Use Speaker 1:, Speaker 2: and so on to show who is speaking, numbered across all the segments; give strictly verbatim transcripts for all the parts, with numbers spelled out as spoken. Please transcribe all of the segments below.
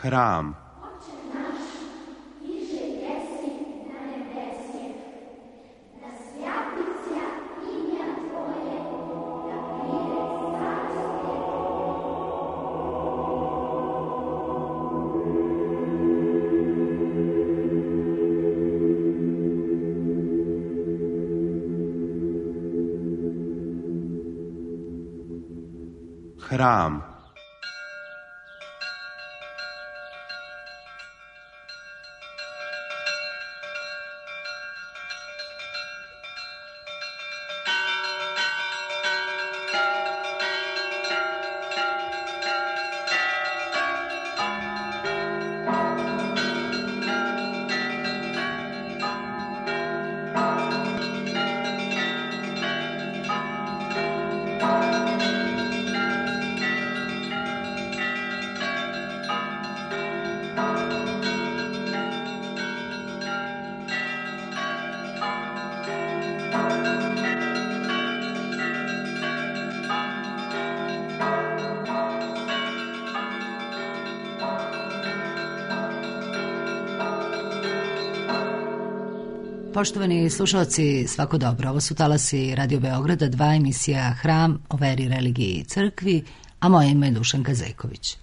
Speaker 1: Hram. Hram.
Speaker 2: Poštovani slušalci, svako dobro. Ovo su talasi Radio Beograda, dva emisija Hram o veri, religiji i crkvi, a moje ime je Dušanka Zeković.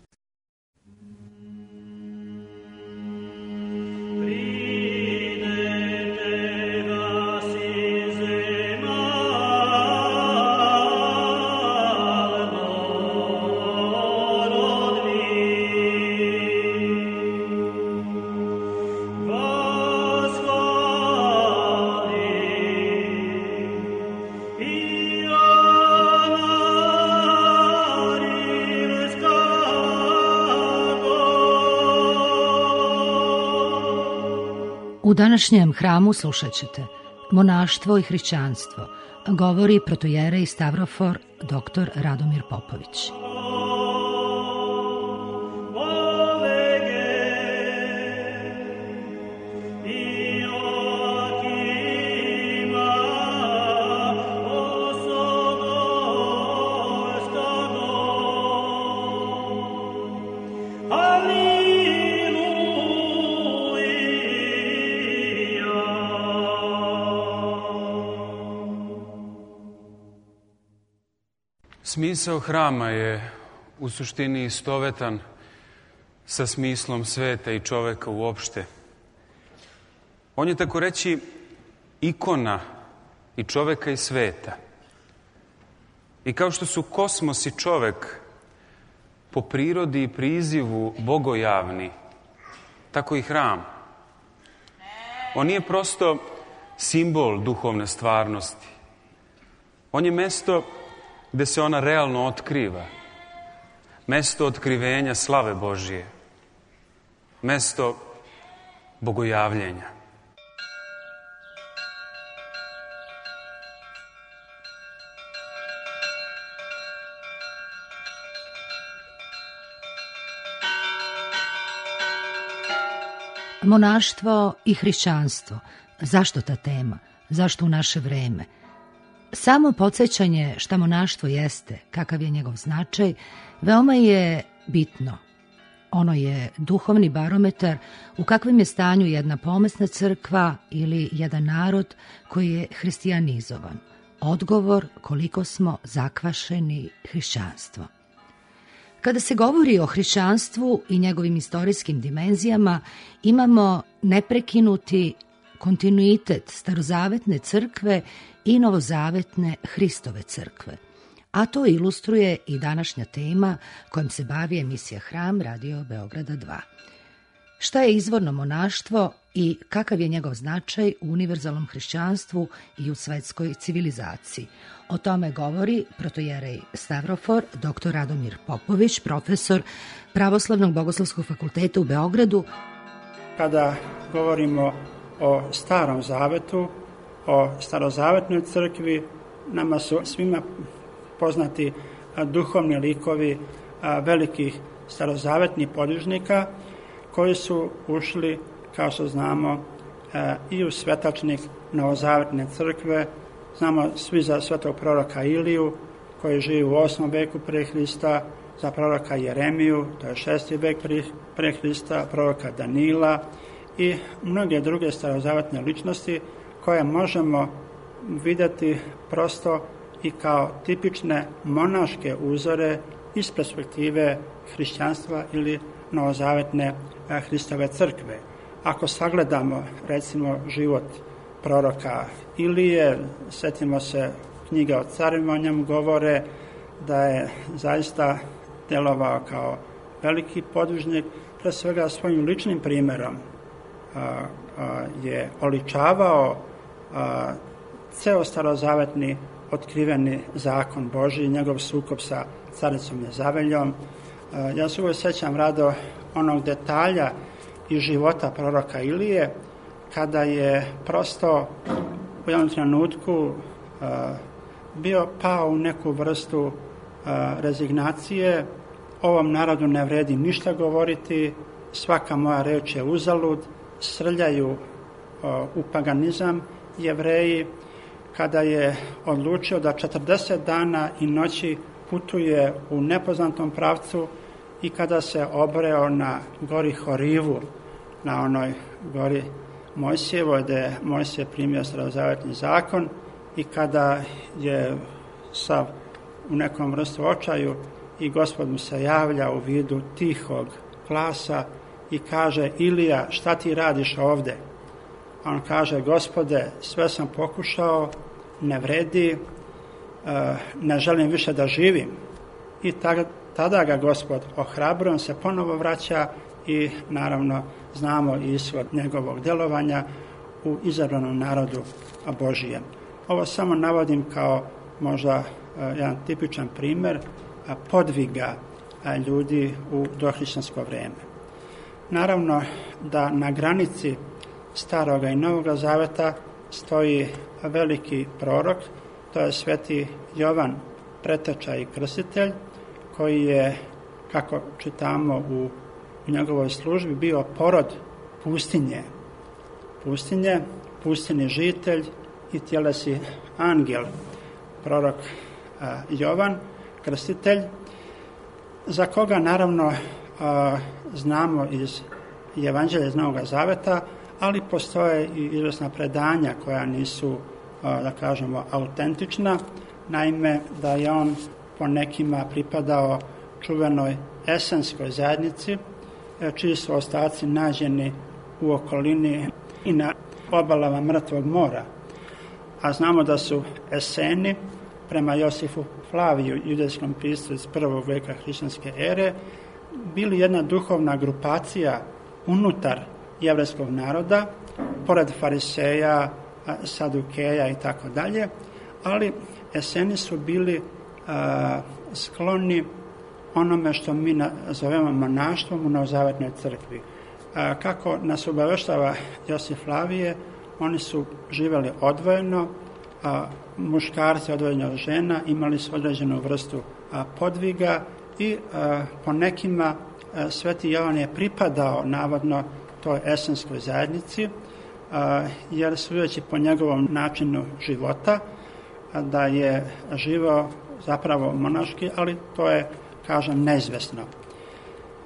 Speaker 2: U današnjem hramu slušat ćete monaštvo i hrišćanstvo, govori protojerej Stavrofor doktor Radomir Popović.
Speaker 3: Smisao hrama je u suštini istovetan sa smislom sveta i čoveka uopšte. On je tako reći ikona i čoveka i sveta. I kao što su kosmos i čovek po prirodi i prizivu bogojavni, tako i hram. On nije prosto simbol duhovne stvarnosti. On je mesto gde se ona realno otkriva. Mesto otkrivenja slave Božije. Mesto bogojavljenja.
Speaker 2: Monaštvo i hrišćanstvo. Zašto ta tema? Zašto u naše vreme? Samo podsjećanje šta monaštvo jeste, kakav je njegov značaj, veoma je bitno. Ono je duhovni barometar u kakvim je stanju jedna pomesna crkva ili jedan narod koji je hristijanizovan. Odgovor koliko smo zakvašeni hrišćanstvom. Kada se govori o hrišćanstvu i njegovim istorijskim dimenzijama, imamo neprekinuti kontinuitet starozavetne crkve i novozavetne Hristove crkve. A to ilustruje i današnja tema kojom se bavi emisija Hram Radio Beograda dva. Šta je izvorno monaštvo i kakav je njegov značaj u univerzalnom hrišćanstvu i u svetskoj civilizaciji? O tome govori protojerej Stavrofor doktor Radomir Popović, profesor Pravoslavnog bogoslovskog fakulteta u Beogradu.
Speaker 4: Kada govorimo o Starom zavetu, o starozavetnoj crkvi, nama su svima poznati duhovni likovi velikih starozavetnih podvižnika koji su ušli, kao što znamo, i u svetačnik novozavetne crkve. Znamo svi za svetog proroka Iliju, koji živi u osmom veku pre Hrista, za proroka Jeremiju, to je šesti vek pre Hrista, proroka Danila i mnoge druge starozavetne ličnosti koje možemo vidjeti prosto i kao tipične monaške uzore iz perspektive hrišćanstva ili novozavetne Hristove crkve. Ako sagledamo recimo život proroka Ilije, setimo se knjige o carima, o njemu govore da je zaista djelovao kao veliki podvižnik, pre svega svojim ličnim primjerom a, a, je oličavao a, ceo starozavetni otkriveni zakon Božji, njegov sukob sa caricom Jezaveljom. A, ja se uvijek sećam rado onog detalja iz života proroka Ilije, kada je prosto u jednom trenutku a, bio pao u neku vrstu a, rezignacije. Ovom narodu ne vredi ništa govoriti, svaka moja reč je uzalud, srljaju a, u paganizam Jevreji. Kada je odlučio da četrdeset dana i noći putuje u nepoznatom pravcu i kada se obreo na gori Horivu, na onoj gori Mojsijevoj, gde je Mojsije primio starozavetni zakon, i kada je sav u nekom vrstu očaju i Gospod mu se javlja u vidu tihog glasa i kaže: Ilija, šta ti radiš ovde? A on kaže: Gospode, sve sam pokušao, ne vredi, ne želim više da živim. I tada ga Gospod ohrabruje, on se ponovo vraća i naravno znamo ishod njegovog djelovanja u izabranom narodu Božijem. Ovo samo navodim kao možda jedan tipičan primjer podviga ljudi u dohrišćansko vrijeme. Naravno da na granici Staroga i Novoga Zaveta stoji veliki prorok, to je sveti Jovan, preteča i krstitelj, koji je, kako čitamo u, u njegovoj službi, bio porod pustinje. Pustinje, pustinji žitelj i tjelesi angel, prorok a, Jovan, krstitelj, za koga naravno a, znamo iz Evanđelja iz Novoga Zaveta, ali postoje i izvjesna predanja koja nisu, a, da kažemo, autentična. Naime, da je on po nekima pripadao čuvenoj esenskoj zajednici, čiji su ostaci nađeni u okolini i na obalama Mrtvog mora. A znamo da su Eseni, prema Josifu Flaviju, judejskom piscu iz prvog veka hrišćanske ere, bili jedna duhovna grupacija unutar jevrejskog naroda, pored fariseja, sadukeja i tako dalje, ali Eseni su bili a, skloni onome što mi zovemo monaštvom u novozavetnoj crkvi. A, kako nas obaveštava Josif Flavije, oni su živjeli odvojeno, a muškarci odvojeni od žena, imali su određenu vrstu a, podviga i a, po nekima a, sveti Jovan je pripadao navodno toj esenskoj zajednici, a, jer sudeći po njegovom načinu života, a, da je živao zapravo monaški, ali to je, kažem, neizvesno.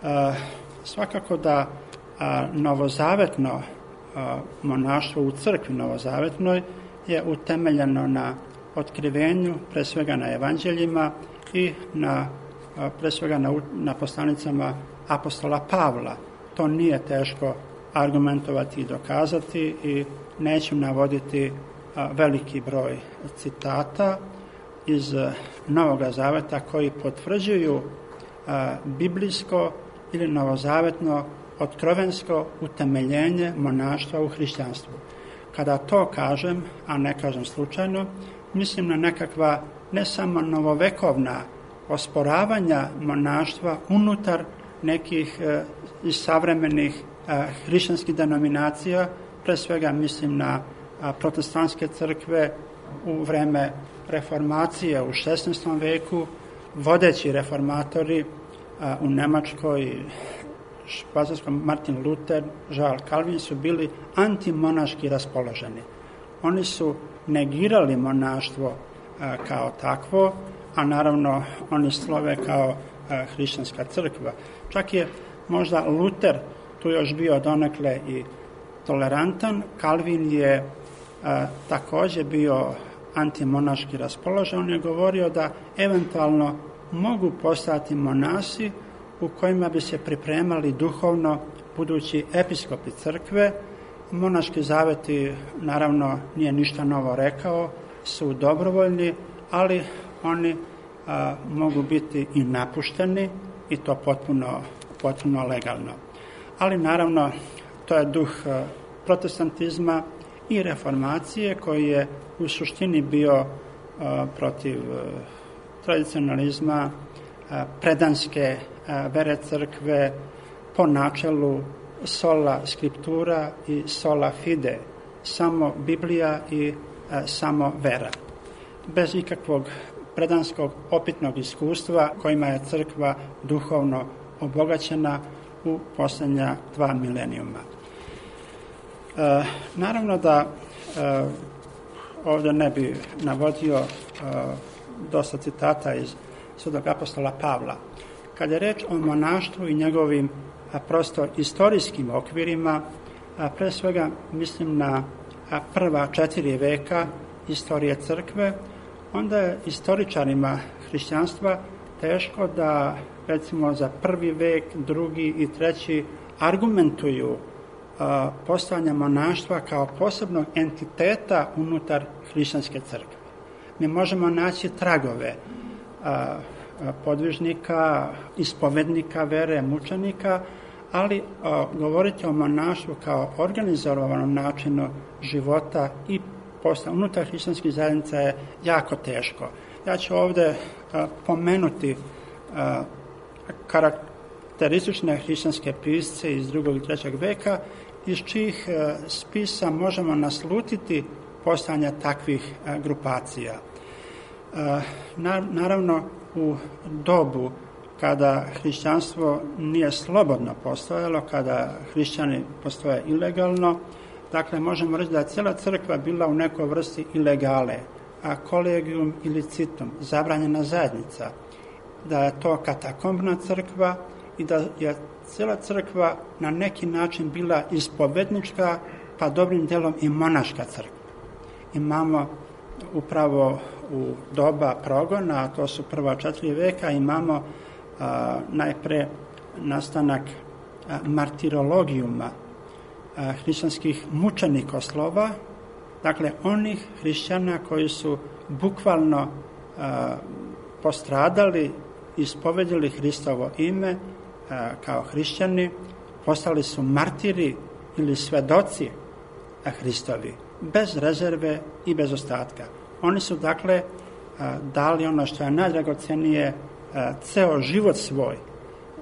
Speaker 4: A, svakako da a, novozavetno a, monaštvo u crkvi novozavetnoj je utemeljeno na otkrivenju, pre svega na evanđeljima i na, a, pre svega na, na poslanicama apostola Pavla. To nije teško argumentovati i dokazati i neću navoditi a, veliki broj citata iz Novoga Zaveta koji potvrđuju a, biblijsko ili novozavetno otkrovensko utemeljenje monaštva u hrišćanstvu. Kada to kažem, a ne kažem slučajno, mislim na nekakva ne samo novovekovna osporavanja monaštva unutar nekih e, iz savremenih e, hrišćanskih denominacija, pre svega mislim na a, protestantske crkve u vreme reformacije u šesnaestom veku, vodeći reformatori a, u Nemačkoj, Švajcarskom, Martin Luther, Žal Kalvin su bili antimonaški raspoloženi. Oni su negirali monaštvo a, kao takvo, a naravno oni slove kao hrišćanska crkva. Čak je možda Luter tu još bio donekle i tolerantan. Kalvin je a, također bio antimonaški raspoložen. On je govorio da eventualno mogu postati monasi u kojima bi se pripremali duhovno budući episkopi crkve. Monaški zaveti, naravno, nije ništa novo rekao, su dobrovoljni, ali oni a, mogu biti i napušteni i to potpuno, potpuno legalno. Ali naravno, to je duh a, protestantizma i reformacije koji je u suštini bio a, protiv a, tradicionalizma, a, predanske a, vere crkve po načelu sola scriptura i sola fide, samo Biblija i a, samo vera. Bez ikakvog predanskog opitnog iskustva kojima je crkva duhovno obogaćena u posljednja dva milenijuma. E, naravno da e, ovdje ne bi navodio e, dosta citata iz Svetog apostola Pavla. Kad je reč o monaštvu i njegovim a, prosto istorijskim okvirima, a, pre svega mislim na a, prva četiri veka istorije crkve, onda je istoričarima hrišćanstva teško da, recimo, za prvi vek, drugi i treći argumentuju a, postojanje monaštva kao posebnog entiteta unutar hrišćanske crkve. Mi možemo naći tragove a, a, podvižnika, ispovednika vere, mučenika, ali a, govoriti o monaštvu kao organizovanom načinu života i posla unutar hrišćanskih zajednica je jako teško. Ja ću ovdje a, pomenuti a, karakteristične hrišćanske pisce iz drugog i trećeg veka, iz čijih a, spisa možemo naslutiti postojanje takvih a, grupacija. A, na, naravno, u dobu kada hrišćanstvo nije slobodno postojalo, kada hrišćani postoje ilegalno, dakle, možemo reći da je cijela crkva bila u nekoj vrsti ilegale, a kolegium ilicitum, zabranjena zajednica, da je to katakombna crkva i da je cijela crkva na neki način bila ispovednička, pa dobrim dijelom i monaška crkva. Imamo upravo u doba progona, a to su prva četiri veka, imamo a, najpre nastanak a, martirologijuma, hrišćanskih mučenikoslova, dakle onih hrišćana koji su bukvalno a, postradali, ispovedili Hristovo ime a, kao hrišćani, postali su martiri ili svedoci a, Hristovi, bez rezerve i bez ostatka. Oni su dakle a, dali ono što je najdragocenije, a, ceo život svoj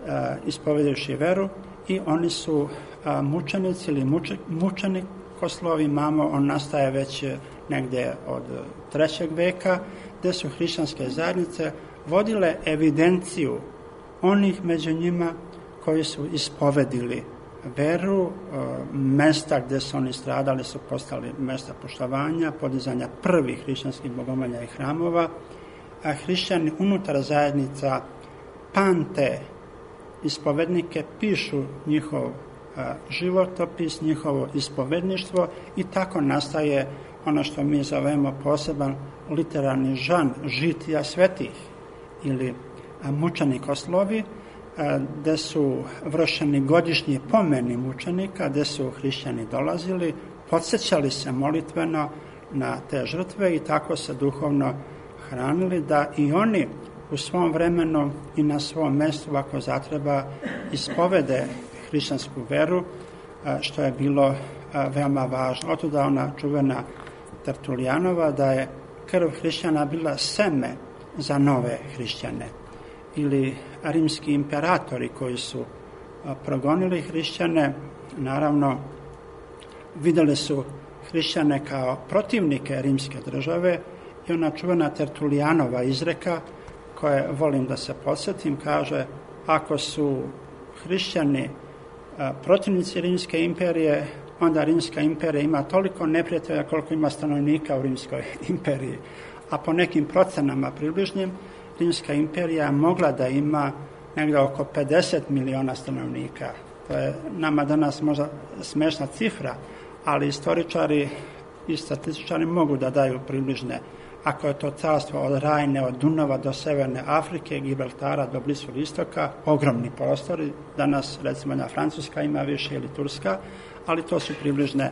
Speaker 4: a, ispovedivši veru, i oni su a, mučenici ili muče, mučenikoslovi. Imamo, on nastaje već negdje od trećeg veka, gdje su hrišćanske zajednice vodile evidenciju onih među njima koji su ispovedili veru. A, mesta gdje su oni stradali su postali mesta poštovanja, podizanja prvih hrišćanskih bogomolja i hramova, a hrišćani unutar zajednica pamte ispovednike, pišu njihov a, životopis, njihovo ispovedništvo, i tako nastaje ono što mi zovemo poseban literarni žan žitija svetih ili a, mučenikoslovi, a, gde su vršeni godišnji pomeni mučenika, gde su hrišćani dolazili, podsjećali se molitveno na te žrtve i tako se duhovno hranili, da i oni u svom vremenu i na svom mjestu, ako zatreba, ispovede hrišćansku veru, što je bilo veoma važno. Otuda ona čuvena Tertulijanova, da je krv hrišćana bila seme za nove hrišćane. Ili rimski imperatori koji su progonili hrišćane, naravno vidjeli su hrišćane kao protivnike rimske države, i ona čuvena Tertulijanova izreka, koje volim da se podsjetim, kaže: ako su hrišćani a, protivnici Rimske imperije, onda Rimska imperija ima toliko neprijatelja koliko ima stanovnika u Rimskoj imperiji. A po nekim procenama približnim, Rimska imperija mogla da ima negdje oko pedeset miliona stanovnika. To je nama danas možda smešna cifra, ali istoričari i statističari mogu da daju približne. Ako je to carstvo od Rajne, od Dunava do Severne Afrike, Gibraltara do Bliskog istoka, ogromni prostori. Danas, recimo, na Francuska ima više ili Turska, ali to su približne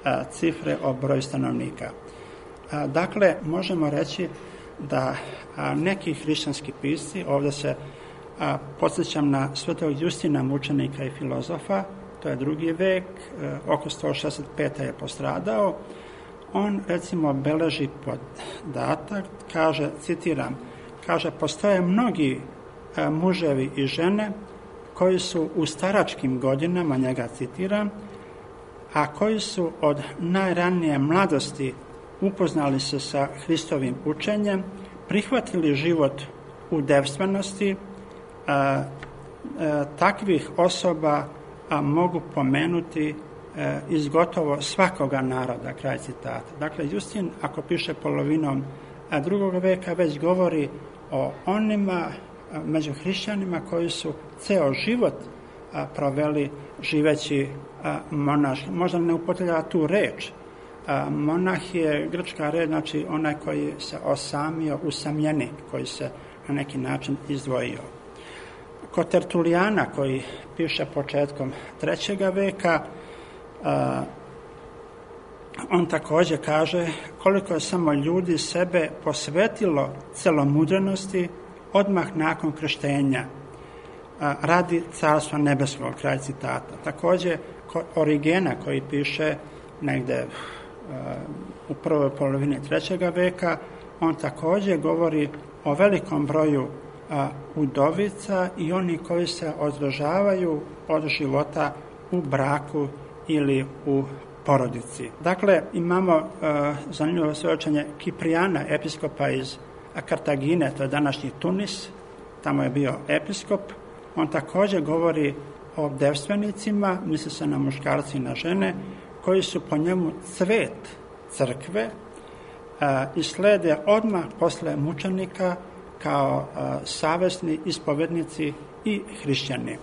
Speaker 4: a, cifre o broju stanovnika. A, dakle, možemo reći da a, neki hrišćanski pisci, ovdje se a, podsjećam na svetog Justina, mučenika i filozofa, to je drugi vek, a, oko sto šezdeset pete je postradao. On, recimo, beleži podatak, kaže, citiram, kaže, postoje mnogi a, muževi i žene koji su u staračkim godinama, njega citiram, a koji su od najranije mladosti upoznali se sa Hristovim učenjem, prihvatili život u devstvenosti, a, a, takvih osoba a, mogu pomenuti a, iz gotovo svakoga naroda, kraj citata. Dakle, Justin, ako piše polovinom a, drugog veka, već govori o onima a, među hrišćanima koji su ceo život a, proveli živeći a, monah. Možda ne upotrebljava tu reč. A, monah je grčka reč, znači onaj koji se osamio, usamljenik, koji se na neki način izdvojio. Kod Tertulijana, koji piše početkom trećega veka, a, on također kaže koliko je samo ljudi sebe posvetilo celomudrenosti odmah nakon krštenja a, radi carstva nebeskog, kraj citata. Također kod Origena, koji piše negde u prvoj polovini trećega veka, on također govori o velikom broju a, udovica i oni koji se održavaju od života u braku ili u porodici. Dakle, imamo a, zanimljivo svjedočenje Kiprijana, episkopa iz Kartagine, to je današnji Tunis, tamo je bio episkop. On također govori o devstvenicima, misli se na muškarci i na žene, koji su po njemu cvet crkve a, i slede odmah posle mučenika kao a, savesni ispovednici i hrišćani.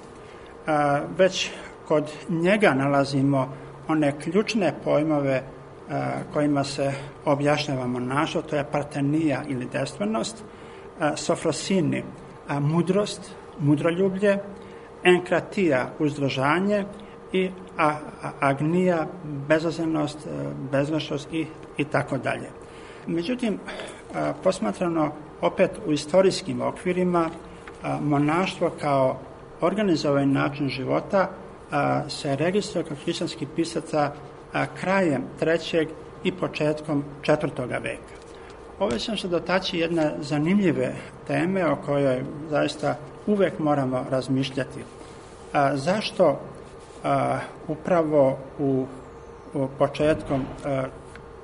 Speaker 4: A, već kod njega nalazimo one ključne pojmove a, kojima se objašnjava monaštvo, to je partenija ili devstvenost, a, sofrosini, a, mudrost, mudroljublje, enkratija, uzdržanje i a, a, agnija, bezazlenost, bezgrešnost i, i tako dalje. Međutim, a, posmatrano opet u istorijskim okvirima, a, monaštvo kao organizovan način života a, se registruje kod hrišćanskih pisaca a, krajem trećeg i početkom četvrtoga veka. Ovdje ćemo se dotaći jedne zanimljive teme o kojoj zaista uvek moramo razmišljati. A, zašto a, upravo u, u početkom a,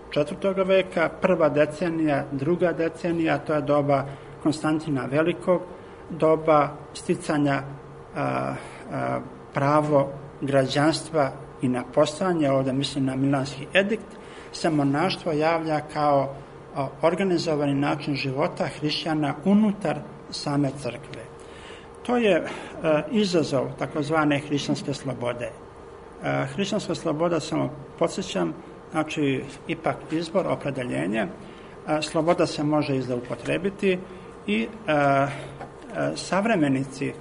Speaker 4: četvrtoga veka, prva decenija, druga decenija, to je doba Konstantina Velikog, doba sticanja a, a, pravo građanstva i na postojanje, ovdje mislim na Milanski edikt, se monaštvo javlja kao a, organizovani način života hrišćana unutar same crkve. To je e, izazov takozvane hrišćanske slobode. E, hrišćanska sloboda, samo podsjećam, znači ipak izbor, opredeljenje. E, sloboda se može izupotrebiti i e, e, savremenici e,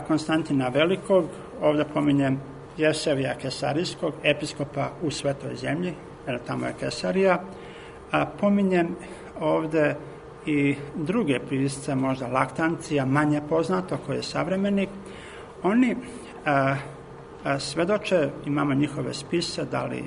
Speaker 4: Konstantina Velikog, ovdje pominjem Jesevija Kesarijskog, episkopa u Svetoj zemlji, jer tamo je Kesarija, a pominjem ovdje i druge pisce, možda Laktancija, manje poznato, koji je savremenik. Oni a, a, svedoče, imamo njihove spise, da li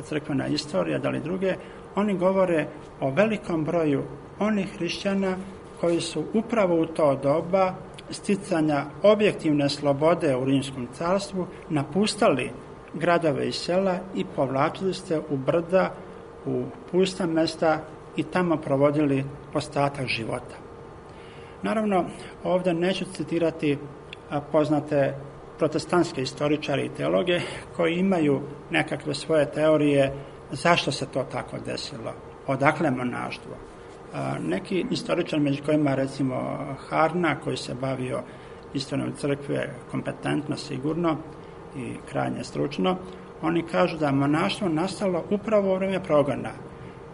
Speaker 4: crkvena istorija, da li druge, oni govore o velikom broju onih hrišćana koji su upravo u to doba sticanja objektivne slobode u Rimskom carstvu napustali gradove i sela i povlačili se u brda, u pusta mesta i tamo provodili ostatak života. Naravno, ovdje neću citirati poznate protestantske istoričare i teologe koji imaju nekakve svoje teorije zašto se to tako desilo, odakle monaštvo. Neki istoričar, među kojima recimo Harna, koji se bavio istoriju crkve kompetentno, sigurno i krajnje stručno, oni kažu da je monaštvo nastalo upravo u vrijeme progona.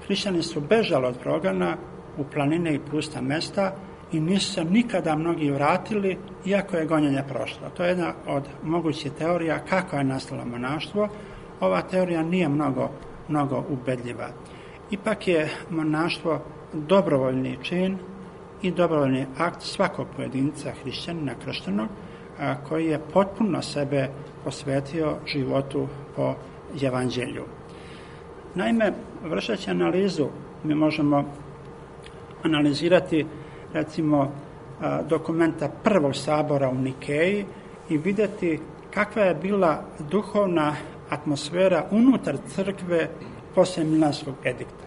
Speaker 4: Hrišćani su bežali od progona u planine i pusta mesta i nisu se nikada mnogi vratili, iako je gonjenje prošlo. To je jedna od mogućih teorija kako je nastalo monaštvo. Ova teorija nije mnogo, mnogo ubedljiva. Ipak je monaštvo dobrovoljni čin i dobrovoljni akt svakog pojedinca hrišćanina krštenog, koji je potpuno sebe posvetio životu po evanđelju. Naime, vršeći analizu, mi možemo analizirati recimo dokumenta prvog sabora u Nikeji i vidjeti kakva je bila duhovna atmosfera unutar crkve poslije Milanskog edikta.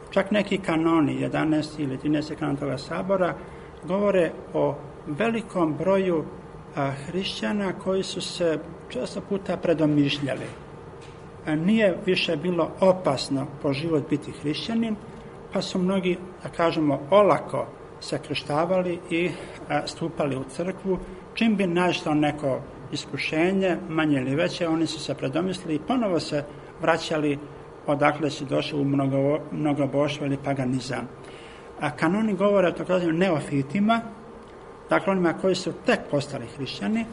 Speaker 4: Čak neki kanoni, jedanaesti ili trinaesti kanon toga sabora, govore o velikom broju a, hrišćana koji su se često puta predomišljali. A nije više bilo opasno po život biti hrišćanin, pa su mnogi, da kažemo, olako se krštavali i a, stupali u crkvu. Čim bi našlo neko iskušenje, manje ili veće, oni su se predomislili i ponovo se vraćali odakle si došli u mnogo, mnogoboštvo ili paganizam. A kanoni govore o takozvanim neofitima, dakle onima koji su tek postali hrišćani,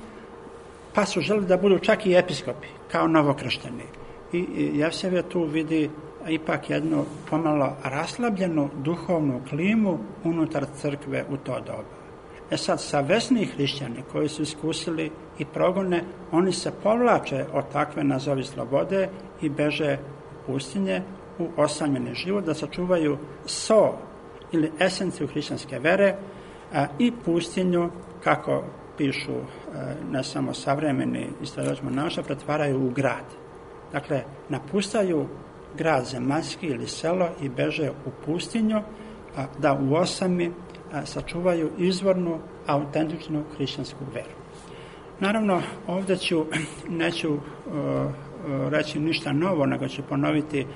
Speaker 4: pa su želeli da budu čak i episkopi, kao novokršteni. I, i Jevsevije tu vidi ipak jednu pomalo raslabljenu duhovnu klimu unutar crkve u to doba. E sad, savesni hrišćani koji su iskusili i progone, oni se povlače od takve nazovi slobode i beže pustinje u osamljeni život, da sačuvaju so ili esenciju hrišćanske vere a, i pustinju, kako pišu a, ne samo savremeni istraživači monaštva, pretvaraju u grad. Dakle, napustaju grad zemaljski ili selo i beže u pustinju a, da u osami a, sačuvaju izvornu, autentičnu hrišćansku veru. Naravno, ovdje ću, neću a, reći ništa novo, nego ću ponoviti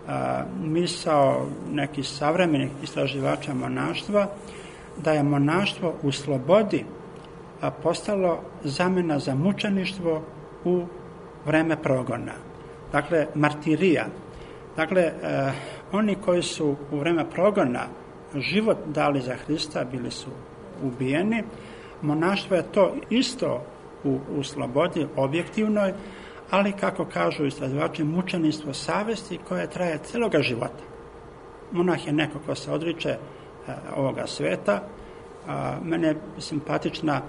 Speaker 4: a, misao nekih savremenih istraživača monaštva, da je monaštvo u slobodi a, postalo zamjena za mučeništvo u vreme progona. Dakle, martirija. Dakle, a, oni koji su u vreme progona život dali za Hrista, bili su ubijeni. Monaštvo je to isto u, u slobodi objektivnoj, ali, kako kažu istraživači, mučeništvo savesti koje traje cijeloga života. Monah je neko ko se odriče e, ovoga sveta. A, mene je simpatična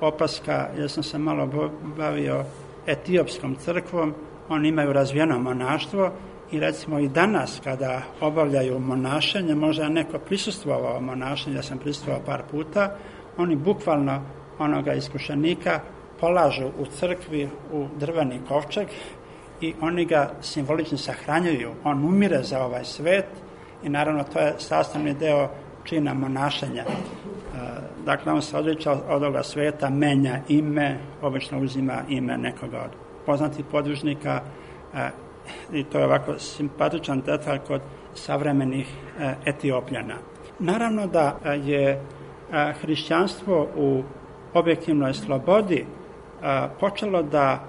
Speaker 4: opaska, jer sam se malo bavio etiopskom crkvom, oni imaju razvijeno monaštvo i recimo i danas kada obavljaju monašenje, možda neko prisustvovao monašenju, ja sam prisustvovao par puta, oni bukvalno onoga iskušenika polažu u crkvi u drveni kovčeg i oni ga simbolično sahranjuju. On umire za ovaj svet i naravno to je sastavni deo čina monašenja. Dakle, on se odriče od ovoga sveta, menja ime, obično uzima ime nekoga od poznatih podvižnika i to je ovako simpatičan detalj kod savremenih Etiopljana. Naravno da je hrišćanstvo u objektivnoj slobodi počelo da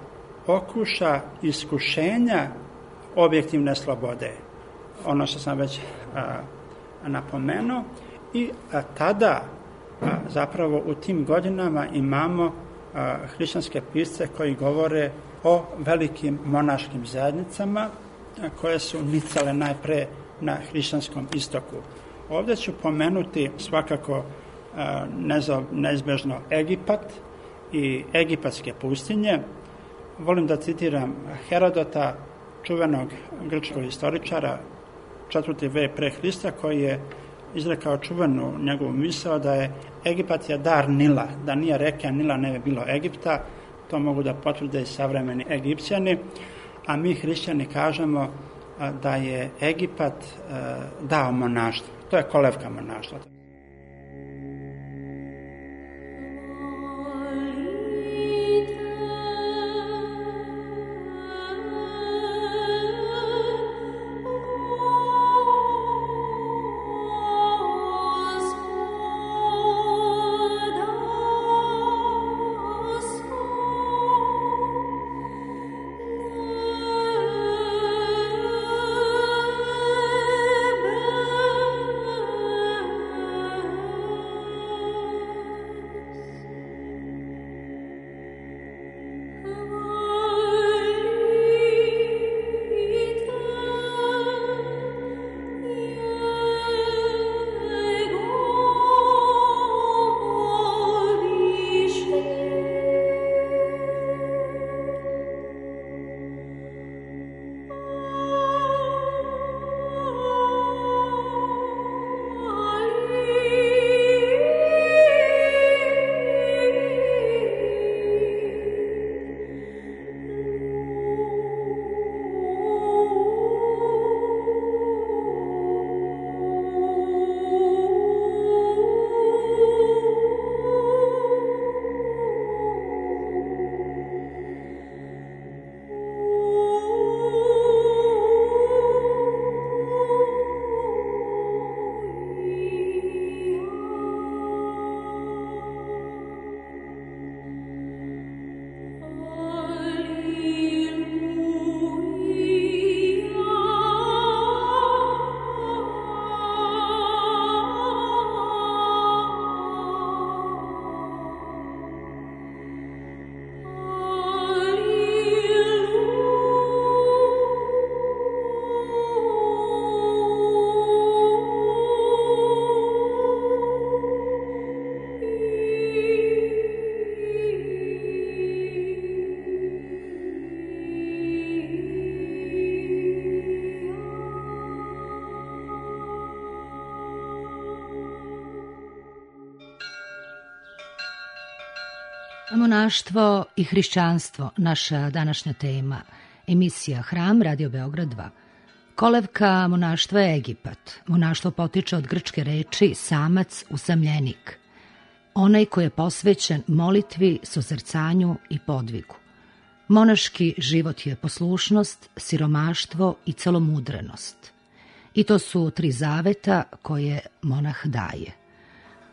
Speaker 4: okuša iskušenja objektivne slobode. Ono što sam već napomenuo. I tada zapravo u tim godinama imamo hrišćanske pisce koji govore o velikim monaškim zajednicama koje su nicale najpre na hrišćanskom istoku. Ovdje ću pomenuti svakako neizbežno Egipat i egipatske pustinje. Volim da citiram Herodota, čuvenog grčkog istoričara, četvrti vek pre Hrista, koji je izrekao čuvenu njegovu misao da je Egipat je dar Nila, da nije reke Nila ne bi bilo Egipta. To mogu da potvrde i savremeni Egipćani, a mi hrišćani kažemo da je Egipat dao monaštvo. To je kolevka monaštva.
Speaker 2: Monaštvo i hrišćanstvo, naša današnja tema. Emisija Hram, Radio Beograd dva. Kolevka monaštva je Egipat. Monaštvo potiče od grčke reči samac, usamljenik. Onaj koji je posvećen molitvi, sozrcanju i podvigu. Monaški život je poslušnost, siromaštvo i celomudrenost. I to su tri zaveta koje monah daje.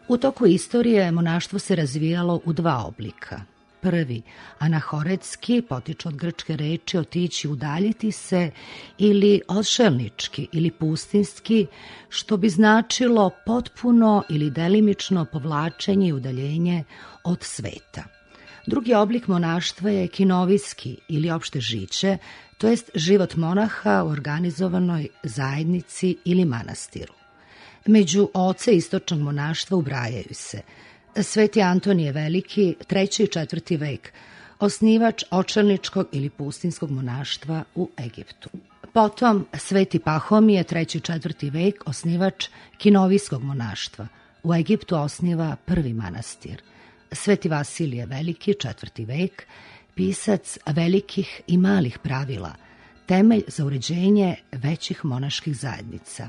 Speaker 2: U toku istorije monaštvo se razvijalo u dva oblika. Prvi, anahoretski, potiče od grčke reči otići, udaljiti se, ili odšelnički ili pustinski, što bi značilo potpuno ili delimično povlačenje i udaljenje od sveta. Drugi oblik monaštva je kinovijski ili opšte žiće, to jest život monaha u organizovanoj zajednici ili manastiru. Među oce istočnog monaštva ubrajaju se Sveti Antonije Veliki, treći i četvrti vek, osnivač očelničkog ili pustinskog monaštva u Egiptu. Potom Sveti Pahomije, treći i četvrti vek, osnivač kinovijskog monaštva. U Egiptu osniva prvi manastir. Sveti Vasilije Veliki, četvrti vek, pisac velikih i malih pravila, temelj za uređenje većih monaških zajednica.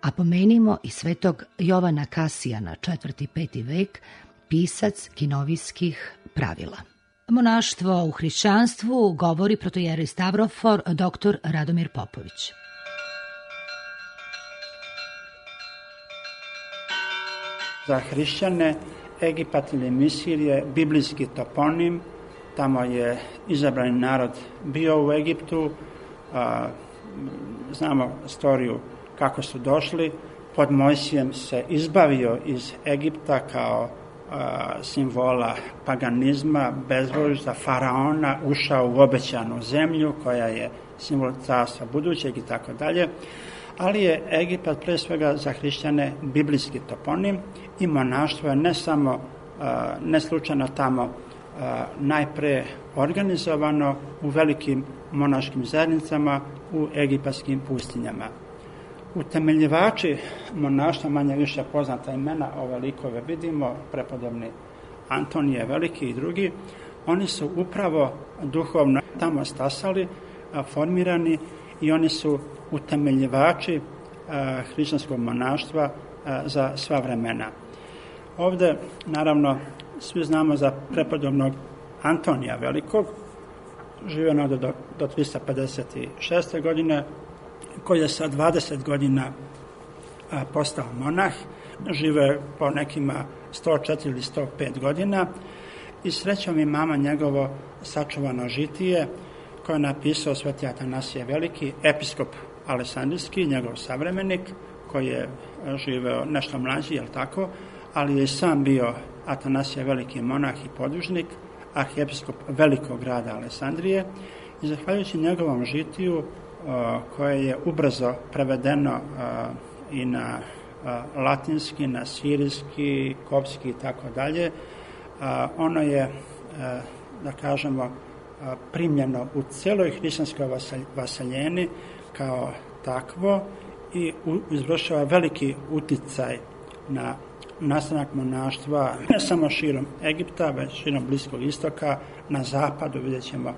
Speaker 2: A pomenimo i svetog Jovana Kasijana, četvrti i peti vek, pisac kinovijskih pravila. Monaštvo u hrišćanstvu govori protoijerej Stavrofor, doktor Radomir Popović.
Speaker 4: Za hrišćane Egipat ili Misir je biblijski toponim. Tamo je izabrani narod bio u Egiptu. A, znamo storiju kako su došli. Pod Mojsijem se izbavio iz Egipta kao a, simbola paganizma, bezbožja, faraona, ušao u obećanu zemlju koja je simbol carstva budućeg i tako dalje. Ali je Egipat pre svega za hrišćane biblijski toponim i monaštvo je ne samo, a, ne slučajno tamo a, najpre organizovano u velikim monaškim zajednicama u egipatskim pustinjama. Utemeljivači monaštva, manje više poznata imena, ove likove vidimo, prepodobni Antonije Veliki i drugi, oni su upravo duhovno tamo stasali, formirani i oni su utemeljivači hrišćanskog monaštva za sva vremena. Ovde, naravno, svi znamo za prepodobnog Antonija Velikog, živio do, do trista pedeset šeste. godine, koji je sa dvadeset godina a, postao monah, žive po nekima sto četiri ili sto pet godina i srećom i mama njegovo sačuvano žitije koje je napisao Sveti Atanasije Veliki, episkop Alesandrijski, njegov savremenik, koji je živeo nešto mlađi, jel tako, ali je i sam bio Atanasije Veliki monah i podvižnik, arhiepiskop velikog grada Alesandrije i zahvaljujući njegovom žitiju koje je ubrzo prevedeno i na latinski, na sirijski, kopski i tako dalje. Ono je, da kažemo, primljeno u celoj hrišćanskoj vaseljeni kao takvo i izvršava veliki uticaj na nastanak monaštva ne samo širom Egipta, već širom Bliskog istoka, na zapadu vidjet ćemo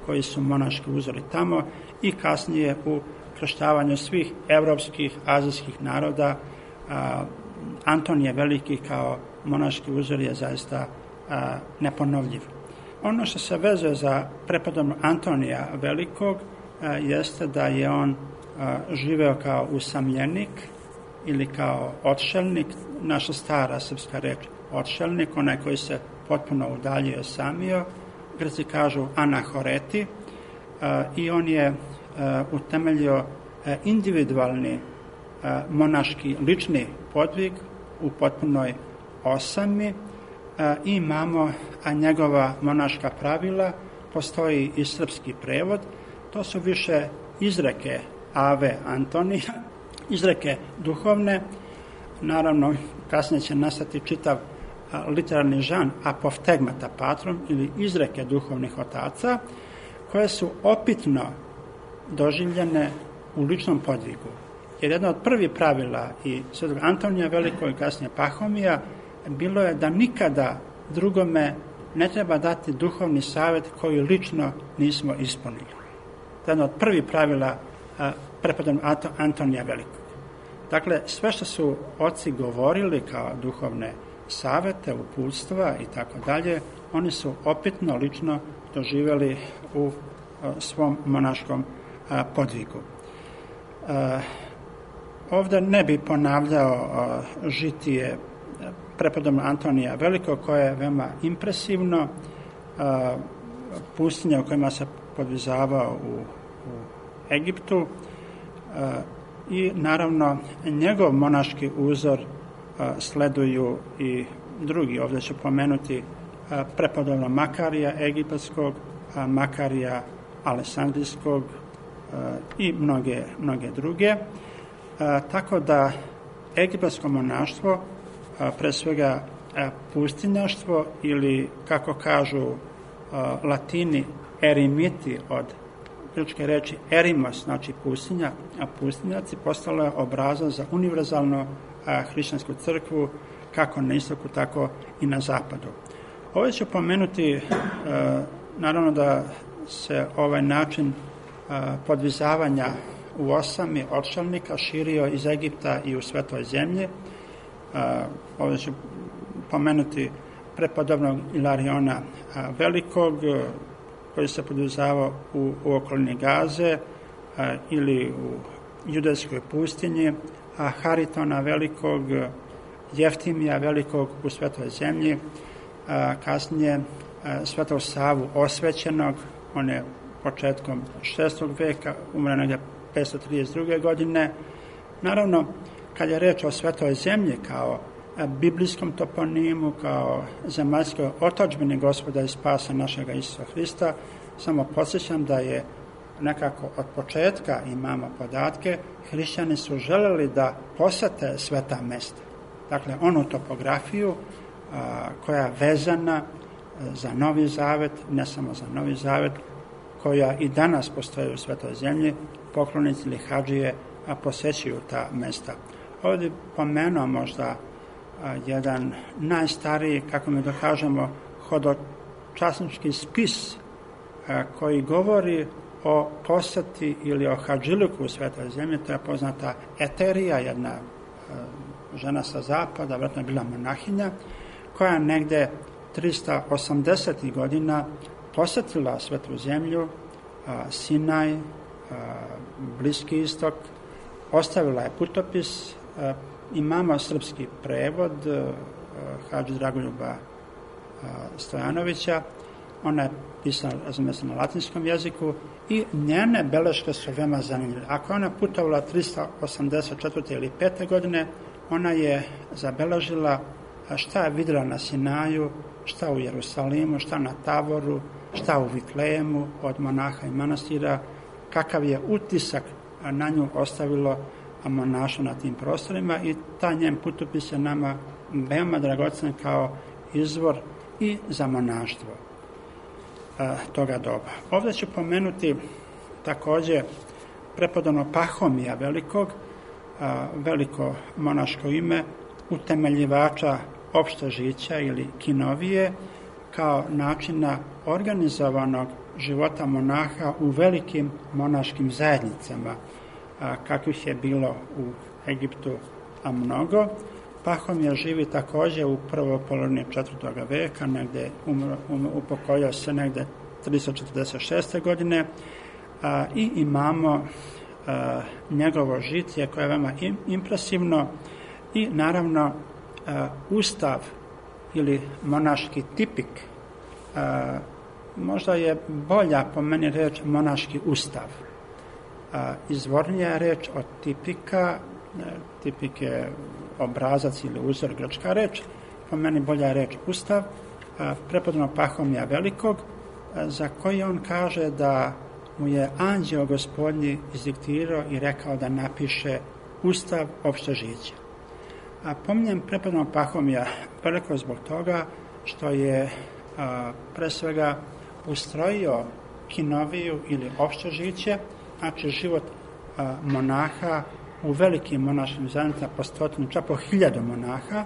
Speaker 4: koji su monaški uzori tamo i kasnije u krštavanju svih evropskih, azijskih naroda. A, Antonije Veliki kao monaški uzor je zaista a, neponovljiv. Ono što se vezuje za prepodobnog Antonija Velikog a, jeste da je on a, živeo kao usamljenik ili kao odšelnik, naša stara srpska reč odšelnik, onaj koji se potpuno udaljio, samio, Grci kažu anahoreti, i on je utemeljio individualni monaški lični podvig u potpunoj osami i imamo njegova monaška pravila, postoji i srpski prevod, to su više izreke Ave Antonija, izreke duhovne, naravno kasnije će nastati čitav literarni žan apoftegmata patrum ili izreke duhovnih otaca koje su opitno doživljene u ličnom podvigu. Jer jedno od prvih pravila i svetog Antonija Velikog i kasnije Pahomija bilo je da nikada drugome ne treba dati duhovni savjet koji lično nismo ispunili. To je jedno od prvih pravila prepodobnog Antonija Velikog. Dakle, sve što su oci govorili kao duhovne savjete, uputstva i tako dalje, oni su opitno lično doživjeli u svom monaškom podvigu. Ovdje ne bi ponavljao žitije prepodobnog Antonija Velikog, koje je veoma impresivno, pustinje u kojima se podvizavao u, u Egiptu i naravno njegov monaški uzor sleduju i drugi. Ovdje ću pomenuti prepodobnog Makarija egipatskog, Makarija Aleksandrijskog i mnoge, mnoge druge. Tako da egipatsko monaštvo, pre svega pustinjaštvo ili kako kažu Latini erimiti od grčke reči erimos, znači pustinja, a pustinjaci postalo je obrazac za univerzalnu hrišćansku crkvu kako na istoku, tako i na zapadu. Ovdje ću pomenuti, naravno da se ovaj način podvizavanja u osami odšavnika širio iz Egipta i u Svetoj zemlji. Ovdje ću pomenuti prepodobnog Ilariona Velikog, koji se podvizavao u, u okolini Gaze ili u judejskoj pustinji, a Haritona Velikog, Jeftimija Velikog u Svetoj zemlji, a kasnije a, Svetog Savu Osvećenog, on je početkom šestog veka, umre negdje petsto trideset druge godine. Naravno, kad je reč o Svetoj zemlji kao a, biblijskom toponimu, kao zemaljskoj otadžbini Gospoda i spasa našega Isusa Hrista, samo podsjećam da je nekako od početka, imamo podatke, hrišćani su želeli da posete sveta mesta. Dakle, onu topografiju a, koja je vezana za Novi Zavet, ne samo za Novi Zavet, koja i danas postoji u Svetoj zemlji, poklonici ili hadžije a, posećuju ta mesta. Ovdje pomenuo možda a, jedan najstariji, kako mi dokažemo, hodočasnički spis a, koji govori o poseti ili o hadžiluku u Svetoj zemlji. To je poznata Eterija, jedna a, žena sa zapada, vjerojatno je bila monahinja, koja negde trista osamdesetih godina posetila Svetu zemlju, a, Sinaj, a, Bliski istok, ostavila je putopis, a, imamo srpski prevod a, hadži Dragoljuba a, Stojanovića, ona je pisana, razumije se, na latinskom jeziku i njene beleške su veoma zanimljive. Ako ona putovala trista osamdeset četvrte ili pete godine, ona je zabeležila šta je vidjela na Sinaju, šta u Jerusalimu, šta na Tavoru, šta u Vitlejemu od monaha i manastira, kakav je utisak na nju ostavilo monaštvo na tim prostorima i taj njen putopis je nama veoma dragocen kao izvor i za monaštvo a, toga doba. Ovdje ću pomenuti također prepodobnog Pahomija Velikog, a, veliko monaško ime, utemeljivača opšte žića ili kinovije, kao načina organizovanog života monaha u velikim monaškim zajednicama, a, kakvih je bilo u Egiptu a mnogo. Pahomija živi također u prvoj polovini četvrtog veka, negdje umro, umro, upokojio se negdje tristo četrdeset šeste godine a, i imamo a, njegovo žitije koje je veoma im, impresivno i naravno a, ustav ili monaški tipik. A, možda je bolja po meni reč monaški ustav. A, izvornija je reč od tipika, tipik je obrazac ili uzor, grčka reč, po meni bolja reč ustav, prepodobnog Pahomija Velikog, za koji on kaže da mu je anđeo gospodnji izdiktirao i rekao da napiše ustav opšte žića. A pominjem prepodobnog Pahomija Velikog zbog toga što je a, pre svega ustrojio kinoviju ili opšte žiće, znači život a, monaha u velikim monaškim zajednicama po stotinu, čak po hiljadu monaha,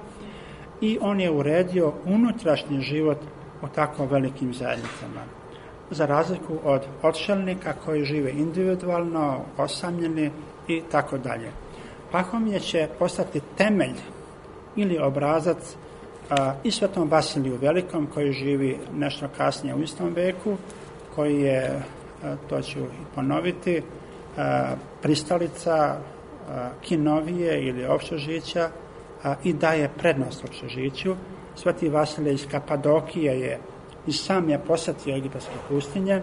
Speaker 4: i on je uredio unutrašnji život u tako velikim zajednicama. Za razliku od odšelnika koji žive individualno, osamljeni i tako dalje. Pahomije će postati temelj ili obrazac a, i Svetom Vasiliju Velikom koji živi nešto kasnije u istom veku, koji je, a, to ću i ponoviti, a, pristalica a, kinovije ili opštežića a, i daje prednost opštežiću. Sveti Vasilije iz Kapadokije je i sam je posjetio egipatske pustinje.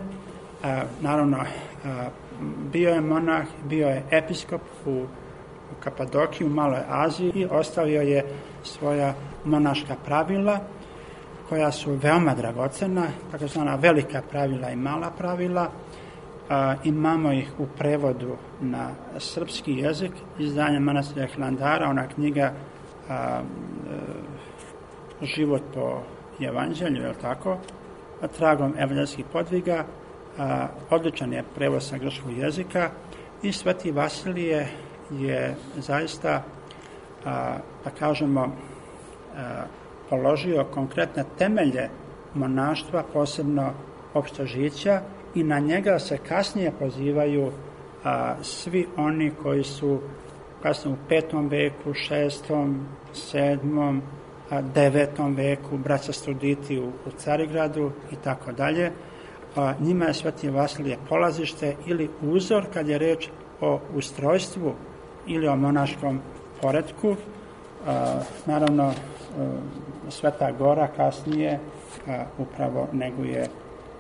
Speaker 4: A, naravno, a, bio je monah, bio je episkop u, u Kapadokiji, u Maloj Aziji i ostavio je svoja monaška pravila koja su veoma dragocena, tako zvana velika pravila i mala pravila. A, imamo ih u prevodu na srpski jezik, izdanje manastira Hilandara, ona knjiga a, a, Život po evanđelju, je li tako, tragom evanđelskih podviga, a, odličan je prevod sa grčkog jezika i Sveti Vasilije je zaista, a, da kažemo, a, položio konkretne temelje monaštva, posebno opštežića, i na njega se kasnije pozivaju a, svi oni koji su kasnije u petom veku, šestom, sedmom, devetom veku, braća Studiti u, u Carigradu i tako dalje. Njima je Sveti Vasilije polazište ili uzor kad je reč o ustrojstvu ili o monaškom poretku. A, naravno, a, Sveta Gora kasnije a, upravo neguje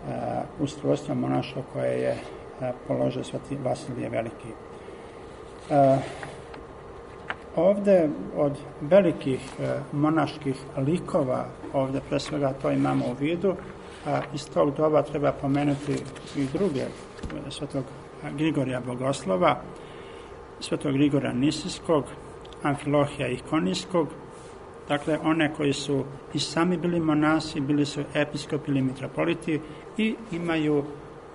Speaker 4: a, ustrojstvo monaštvo koje je a, položio Sveti Vasilije Veliki. A, Ovde od velikih e, monaških likova, ovde pre svega to imamo u vidu, a iz tog doba treba pomenuti i druge, Svetog Grigorija Bogoslova, Svetog Grigora Nisijskog, Amfilohija Ikonijskog, dakle one koji su i sami bili monasi, bili su episkopi ili mitropoliti i imaju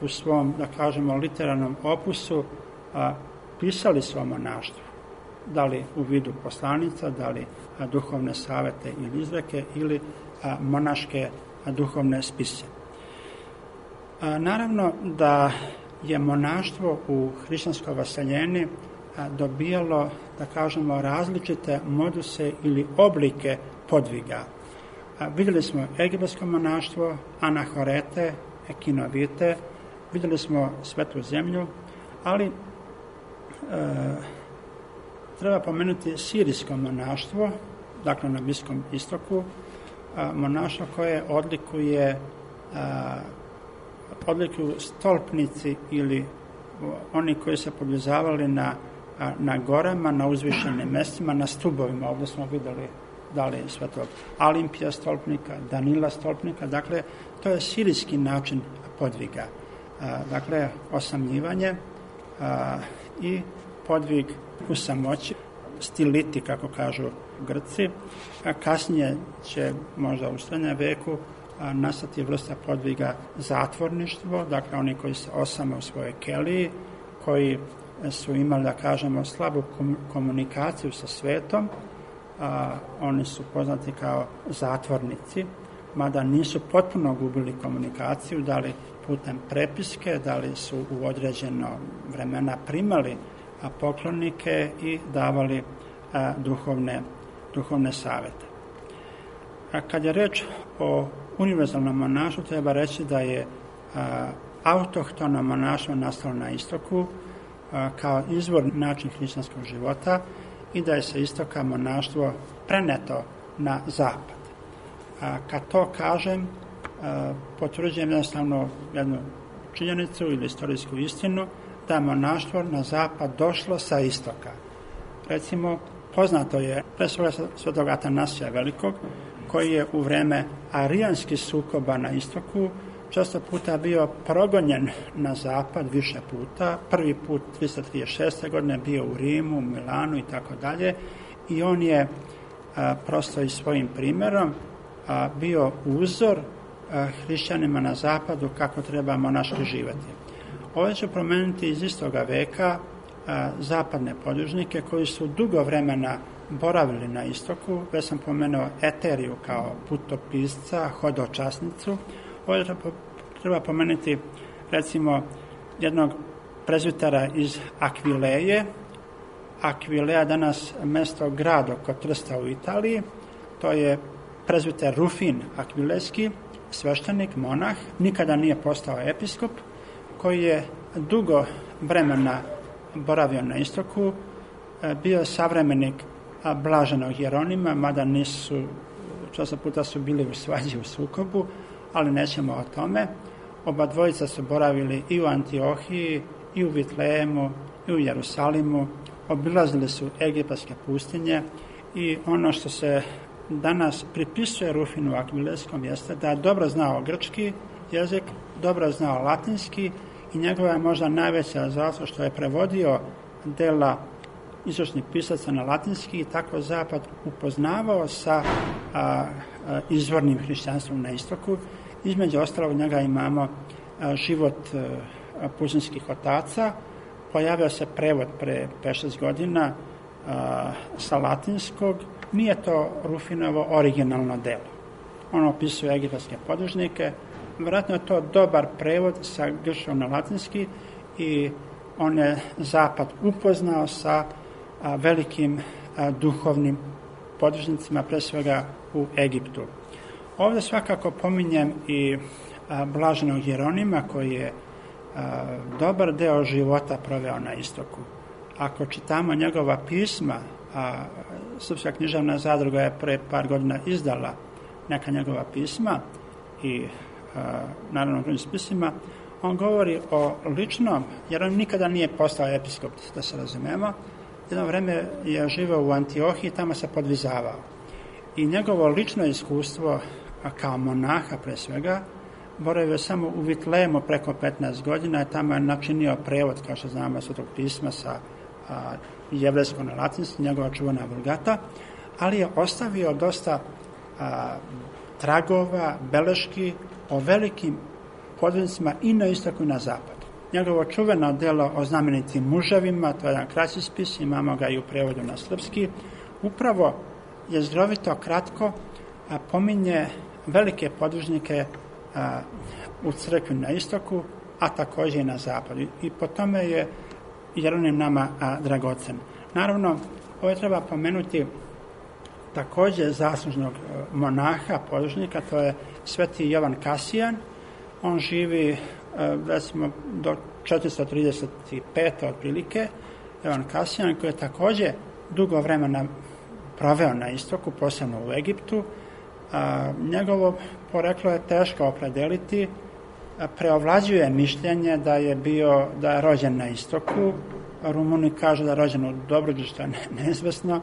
Speaker 4: u svom, da kažemo, literarnom opusu a, pisali su o monaštvu. Da li u vidu poslanica, da li a, duhovne savete ili izreke ili a, monaške a, duhovne spise. A, naravno da je monaštvo u hrišćanskoj vaseljeni a, dobijalo, da kažemo, različite moduse ili oblike podviga. A, vidjeli smo egipatsko monaštvo, anahorete, ekinovite, vidjeli smo Svetu zemlju, ali e, treba pomenuti sirijsko monaštvo, dakle na Bliskom istoku, a, monaštvo koje odlikuje a, odlikuju stolpnici ili oni koji se poblizavali na, a, na gorama, na uzvišenim mestima, na stubovima. Ovdje smo vidjeli da li Svetog Alimpija stolpnika, Danila stolpnika, dakle to je sirijski način podviga. A, dakle, osamljivanje a, i podvig u samoći, stiliti, kako kažu Grci. A kasnije će, možda u srednjem veku, a, nastati vrsta podviga zatvorništvo, dakle oni koji se osame u svojoj keliji, koji su imali, da kažemo, slabu komunikaciju sa svetom, a, oni su poznati kao zatvornici, mada nisu potpuno gubili komunikaciju, da li putem prepiske, da li su u određeno vremena primali a, poklonike i davali a, duhovne, duhovne savete. A kad je reč o univerzalnom monaštvu, treba reći da je a, autohtono monaštvo nastalo na istoku a, kao izvor način hrišćanskog života i da je sa istoka monaštvo preneto na zapad. A, kad to kažem, a, potvrđujem jednostavno jednu činjenicu ili istorijsku istinu, da je monaštvo na zapad došlo sa istoka. Recimo, poznato je pre svega Svetog Atanasija Velikog, koji je u vreme arijanskih sukoba na istoku često puta bio progonjen na zapad više puta. Prvi put trista trideset šeste. godine bio u Rimu, Milanu i tako dalje. I on je a, prosto i svojim primjerom a, bio uzor a, hrišćanima na zapadu kako treba monaški živjeti. Ovo ću promeniti iz istoga veka a, zapadne podružnike koji su dugo vremena boravili na istoku. Već sam pomenuo Eteriju kao putopisca, hodočasnicu. Ovdje treba pomenuti recimo jednog prezbitera iz Akvileje. Akvileja danas mesto grad oko Trsta u Italiji. To je prezbiter Rufin Akvilejski, sveštenik, monah, nikada nije postao episkop, koji je dugo vremena boravio na istoku, bio savremenik blaženog Jeronima, mada nisu, često puta su bili u svađi, u sukobu, ali nećemo o tome. Oba dvojica su boravili i u Antiohiji, i u Vitlejemu, i u Jerusalimu, obilazili su egipatske pustinje i ono što se danas pripisuje Rufinu Akvilejskom jeste da je dobro znao grčki jezik, dobro znao latinski i njegova je možda najveća zato što je prevodio dela istočnih pisaca na latinski i tako Zapad upoznavao sa a, a, izvornim hrišćanstvom na istoku. Između ostalog njega imamo a, život a, pustinskih otaca. Pojavio se prevod pre pet šest godina a, sa latinskog. Nije to Rufinovo originalno delo. On opisuje egipatske podružnike. Vjerojatno je to dobar prevod sa grčkog na latinski i on je Zapad upoznao sa a, velikim a, duhovnim podružnicima, pre svega u Egiptu. Ovdje svakako pominjem i a, blaženog Jeronima koji je a, dobar deo života proveo na istoku. Ako čitamo njegova pisma, a Srpska književna zadruga je pre par godina izdala neka njegova pisma i a, naravno drugim spisima, on govori o ličnom, jer on nikada nije postao episkop, da se razumemo. Jedno vreme je živeo u Antiohiji, tamo se podvizavao. I njegovo lično iskustvo kao monaha pre svega, boravio samo u Vitlejemu preko petnaest godina i tamo je načinio prevod, kao što znamo, Svetog pisma sa a, jevrejsko na latinski, njegova čuvena Vulgata, ali je ostavio dosta a, tragova, beleški o velikim podružnicima i na istoku i na zapadu. Njegovo čuveno delo o znamenitim muževima, to je jedan kraći spis, imamo ga i u prevodu na srpski, upravo je zdrovito kratko a, pominje velike podružnike a, u crkvi na istoku, a također i na zapadu. I po tome je Jeronim nama a, dragocen. Naravno, ovo treba pomenuti također zaslužnog monaha, podružnika, to je sveti Jovan Kasijan. On živi, recimo, do četiristo trideset pet otprilike, Jovan Kasijan, koji je također dugo vremena proveo na istoku, posebno u Egiptu. A, njegovo poreklo je teško opredeliti, a, preovlađuje mišljenje da je bio, da je rođen na istoku. Rumuni kažu da je rođen u Dobruđu, što je neizvesno.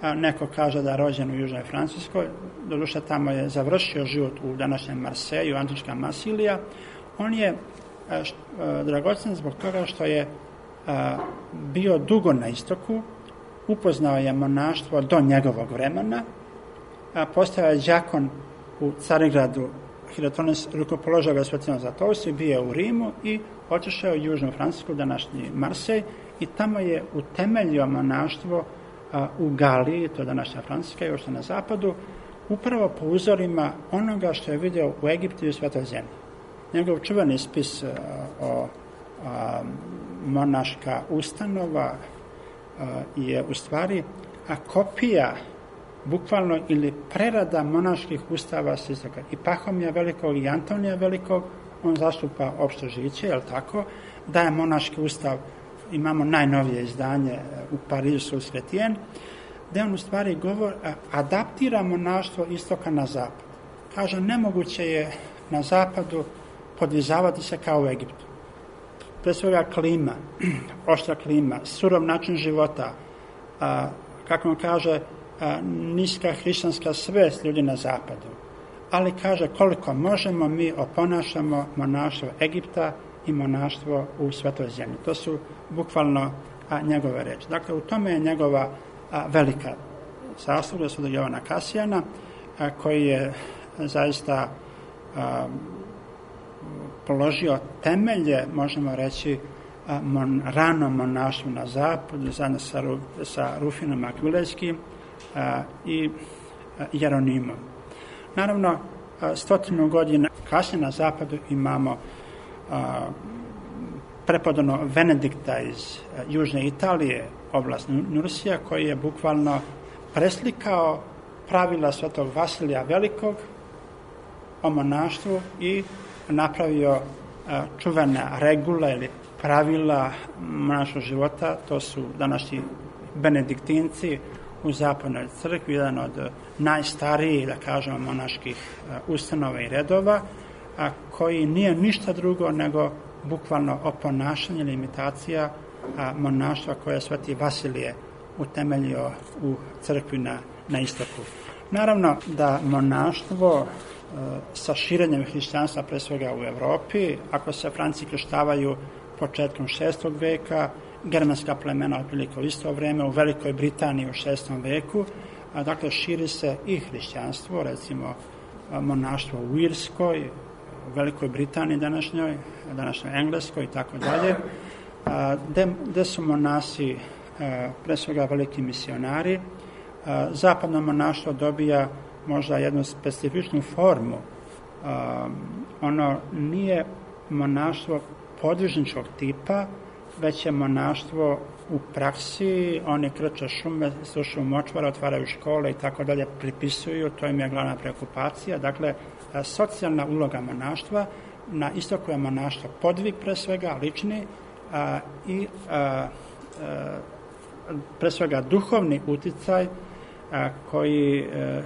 Speaker 4: A, neko kaže da je rođen u Južnoj Francuskoj. Doduše, tamo je završio život u današnjem Marseju, antička Marsilija. On je a, š, a, dragocen zbog toga što je a, bio dugo na istoku, upoznao je monaštvo do njegovog vremena, a, postao je đakon u Carigradu, Hirotonis rukopoložio ga Svetinom Zlatoustom, bio je u Rimu i otišao u Južnu Francusku, današnji Marsej, i tamo je utemeljio monaštvo a, u Galiji, to je današnja Francuska, još na zapadu, upravo po uzorima onoga što je vidio u Egiptu i u Svetoj zemlji. Njegov čuveni spis a, o a, monaška ustanova a, je u stvari a, kopija bukvalno ili prerada monaških ustava s istoka. I Pahomija Velikog i Antonija Velikog, on zastupa opšte žiće, je li tako, da je monaški ustav, imamo najnovije izdanje u Parizu Sul Chrétien, gde on u stvari govor, adaptira monaštvo istoka na zapad. Kaže, nemoguće je na zapadu podvizavati se kao u Egiptu. Pre svega klima, oštra klima, surov način života, a, kako on kaže, a, niska hrišćanska svest ljudi na zapadu. Ali kaže, koliko možemo, mi oponašamo monaštvo Egipta i monaštvo u Svetoj zemlji. To su bukvalno a, njegove reči. Dakle, u tome je njegova a, velika zasluga Svetog Jovana Kasijana, a, koji je zaista a, položio temelje, možemo reći, mon, ranom monaštvu na zapadu, zajedno sa, sa Rufinom Akvilejskim i Jeronimom. Naravno, stotinu godina kasnije na zapadu imamo a, prepodano Venedikta iz a, južne Italije, oblast Nursija, koji je bukvalno preslikao pravila svetog Vasilija Velikog o monaštvu i napravio a, čuvene regule ili pravila monaškog života. To su današnji benediktinci u zapadnoj crkvi, jedan od najstarijih, da kažemo, monaških ustanova i redova, a koji nije ništa drugo nego bukvalno oponašanje ili imitacija monaštva koje je sveti Vasilije utemeljio u crkvi na, na istoku. Naravno da monaštvo sa širenjem hrišćanstva, pre svega u Evropi, ako se Franci krštavaju početkom šestog veka, germanska plemena otprilike u isto vreme, u Velikoj Britaniji u šestom veku, a dakle širi se i hrišćanstvo, recimo monaštvo u Irskoj, u Velikoj Britaniji današnjoj, današnjoj Engleskoj i tako dalje, gde su monasi pre svega veliki misionari. Zapadno monaštvo dobija možda jednu specifičnu formu. Ono nije monaštvo podvižničkog tipa, već je monaštvo u praksi, oni krče šume, slušaju močvara, otvaraju škole i tako dalje, pripisuju, to im je glavna preokupacija. Dakle, socijalna uloga monaštva, na istoku je monaštvo podvig pre svega, lični, a, i a, a, pre svega duhovni uticaj a, koji a,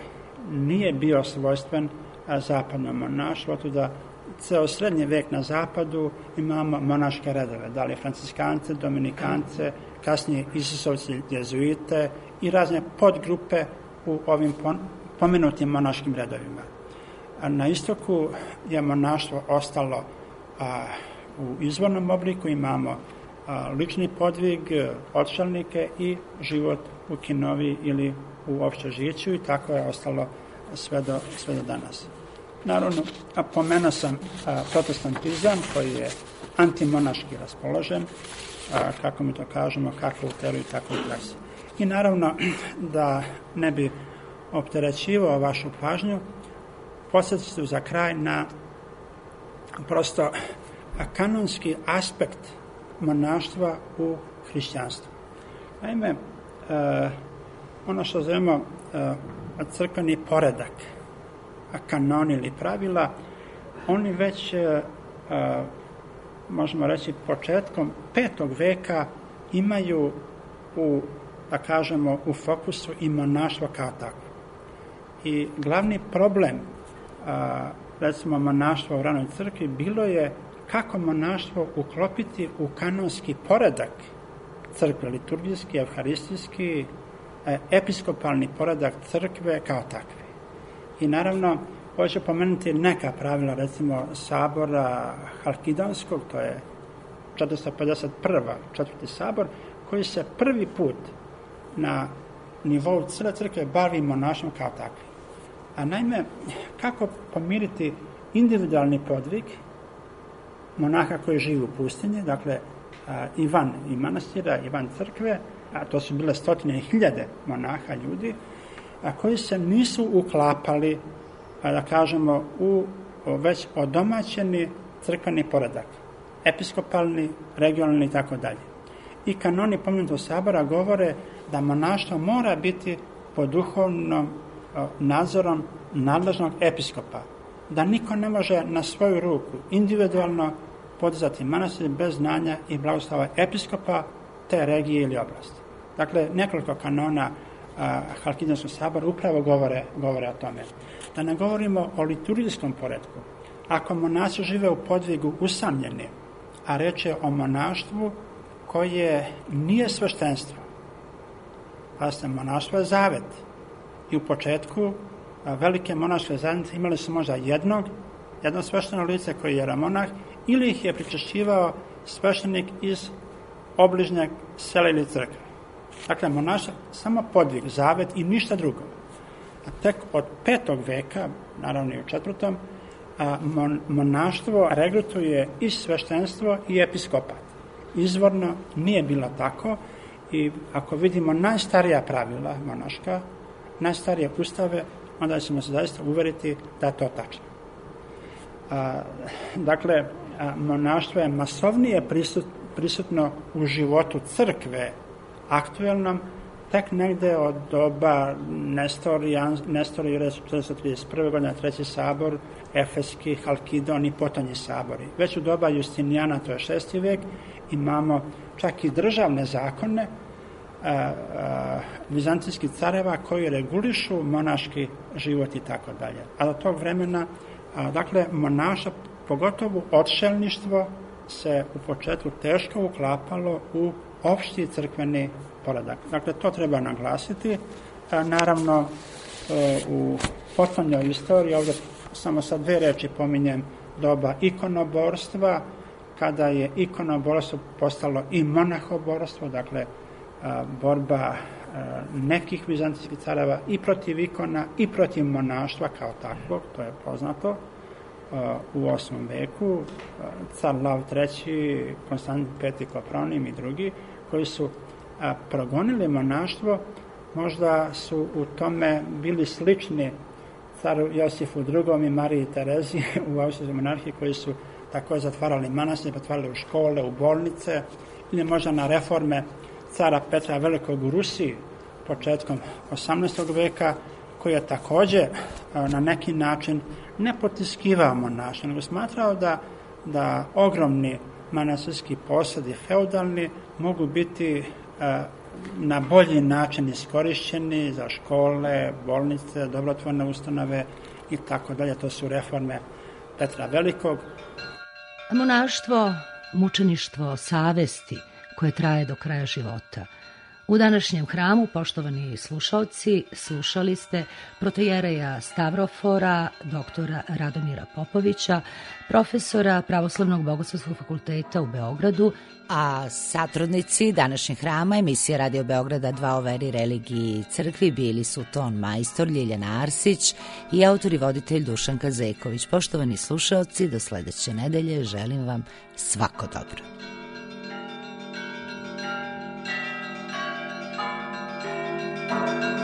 Speaker 4: nije bio svojstven a, zapadnom monaštvu, to da ceo srednji vek na zapadu imamo monaške redove, da li franciskance, dominikance, kasnije Isusovci, jezuite i razne podgrupe u ovim pomenutim monaškim redovima. A na istoku je monaštvo ostalo a, u izvornom obliku, imamo a, lični podvig, odšalnike i život u kinovi ili u opšte žiću, i tako je ostalo sve do, sve do danas. Naravno, pomenuo sam a, protestantizam koji je antimonaški raspoložen, a, kako mi to kažemo, kako u teoriji, tako u praksi. I naravno, da ne bi opterećivao vašu pažnju, podsjetit ću za kraj na prosto kanonski aspekt monaštva u hrišćanstvu. Naime, e, ono što zovemo e, crkveni poredak, kanoni ili pravila, oni već, e, možemo reći, početkom petog veka imaju u, da kažemo, u fokusu i monaštvo kao takvo. I glavni problem, a, recimo, monaštva u ranoj crkvi bilo je kako monaštvo uklopiti u kanonski poredak crkve, liturgijski, evharistijski, episkopalni poredak crkve kao takve. I naravno, hoću pomenuti neka pravila, recimo sabora Halkidonskog, to je četiristo pedeset prvi četvrti sabor, koji se prvi put na nivou cele crkve bavi monaštvom kao takvi. A naime, kako pomiriti individualni podvig monaha koji živi u pustinji, dakle a, i van i manastira, i van crkve, a to su bile stotine i hiljade monaha, ljudi, a koji se nisu uklapali, a, da kažemo, u o, već odomaćeni crkveni poredak, episkopalni, regionalni i tako dalje. I kanoni pomenutog sabora govore da monaštvo mora biti pod duhovnom nadzorom nadležnog episkopa, da niko ne može na svoju ruku individualno podizati manastir bez znanja i blagoslova episkopa te regije ili oblasti. Dakle, nekoliko kanona Halkidonskog sabora upravo govore, govore o tome. Da ne govorimo o liturgijskom poretku. Ako monasi žive u podvigu usamljeni, a reč je o monaštvu koje nije sveštenstvo, pa se monaštvo je zavet. I u početku velike monaške zajednice imali su možda jednog, jedno svešteno lice koji je jeromonah, ili ih je pričešćivao sveštenik iz obližnjeg sela ili crkve. Dakle, monaštvo samo podvig, zavet i ništa drugo. A tek od petog veka, naravno i u četvrtom, a mon, monaštvo regrutuje i sveštenstvo i episkopat. izvorno nije bilo tako i ako vidimo najstarija pravila monaška, najstarije ustave, onda ćemo se zaista uveriti da je to tačno. A, dakle, a, monaštvo je masovnije prisut, prisutno u životu crkve aktuelnom tek negde od doba Nestorija, Nestorije četiristo trideset prve godine, treći sabor, Efeski, Halkidon i potonji sabori. Već u doba Justinijana, to je šesti vek, imamo čak i državne zakone a, a, vizantijskih careva koji regulišu monaški život i tako dalje. A do tog vremena, a, dakle, monaša, pogotovo odšelništvo, se u početku teško uklapalo u opšti crkveni poredak. Dakle, to treba naglasiti. A, naravno, e, u potonjoj istoriji, ovdje samo sa dve reči pominjem doba ikonoborstva, kada je ikonoborstvo postalo i monahoborstvo, dakle, a, borba a, nekih vizantijskih careva i protiv ikona i protiv monaštva kao takvog, to je poznato a, u osmom veku, a, car Lav treći, Konstantin peti Kopronim i drugi, koji su a, progonili monaštvo, možda su u tome bili slični caru Josifu drugom i Mariji Terezi u austrijskoj monarhiji, koji su tako zatvarali manastire, pretvarali u škole, u bolnice, ili možda na reforme cara Petra Velikog u Rusiji početkom osamnaestog veka, koji je takođe na neki način ne potiskivao monaštvo, nego smatrao da, da ogromni manastirski posedi feudalni mogu biti na bolji način iskorišćeni za škole, bolnice, dobrotvorne ustanove i tako dalje. To su reforme Petra Velikog.
Speaker 2: Monaštvo, mučeništvo savesti koje traje do kraja života. U današnjem hramu, poštovani slušalci, slušali ste protojereja Stavrofora, doktora Radomira Popovića, profesora Pravoslavnog bogoslovskog fakulteta u Beogradu,
Speaker 1: a satrudnici današnjeg hrama emisije Radio Beograda dva o veri, religiji i crkvi bili su ton majstor Ljiljana Arsić i autor i voditelj Dušan Kazeković. Poštovani slušalci, do sledeće nedelje želim vam svako dobro.
Speaker 5: Thank you.